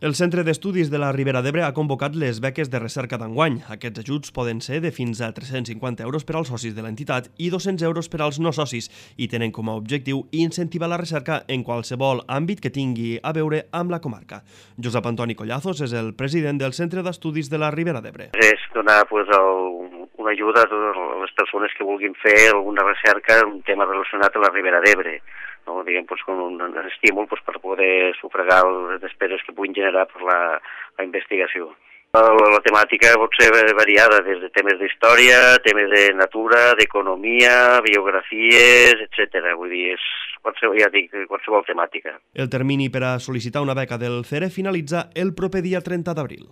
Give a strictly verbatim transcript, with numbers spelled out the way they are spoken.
El Centre d'Estudis de la Ribera d'Ebre ha convocat les beques de recerca d'enguany. Aquests ajuts poden ser de fins a tres-cents cinquanta euros per als socis de l'entitat i dos-cents euros per als no socis i tenen com a objectiu incentivar la recerca en qualsevol àmbit que tingui a veure amb la comarca. Josep Antoni Collazos és el president del Centre d'Estudis de la Ribera d'Ebre. És donar pues, el, una ajuda a totes les persones que vulguin fer alguna recerca en un tema relacionat a la Ribera d'Ebre. No, diguem, pues, com un, un estímul pues, per poder sufragar les despeses que puguin generar per la, la investigació. La, la temàtica pot ser variada, des de temes d'història, temes de natura, d'economia, biografies, etcètera. Vull dir, és qualsevol, ja dic, qualsevol temàtica. El termini per a sol·licitar una beca del C E R E finalitza el proper dia trenta d'abril.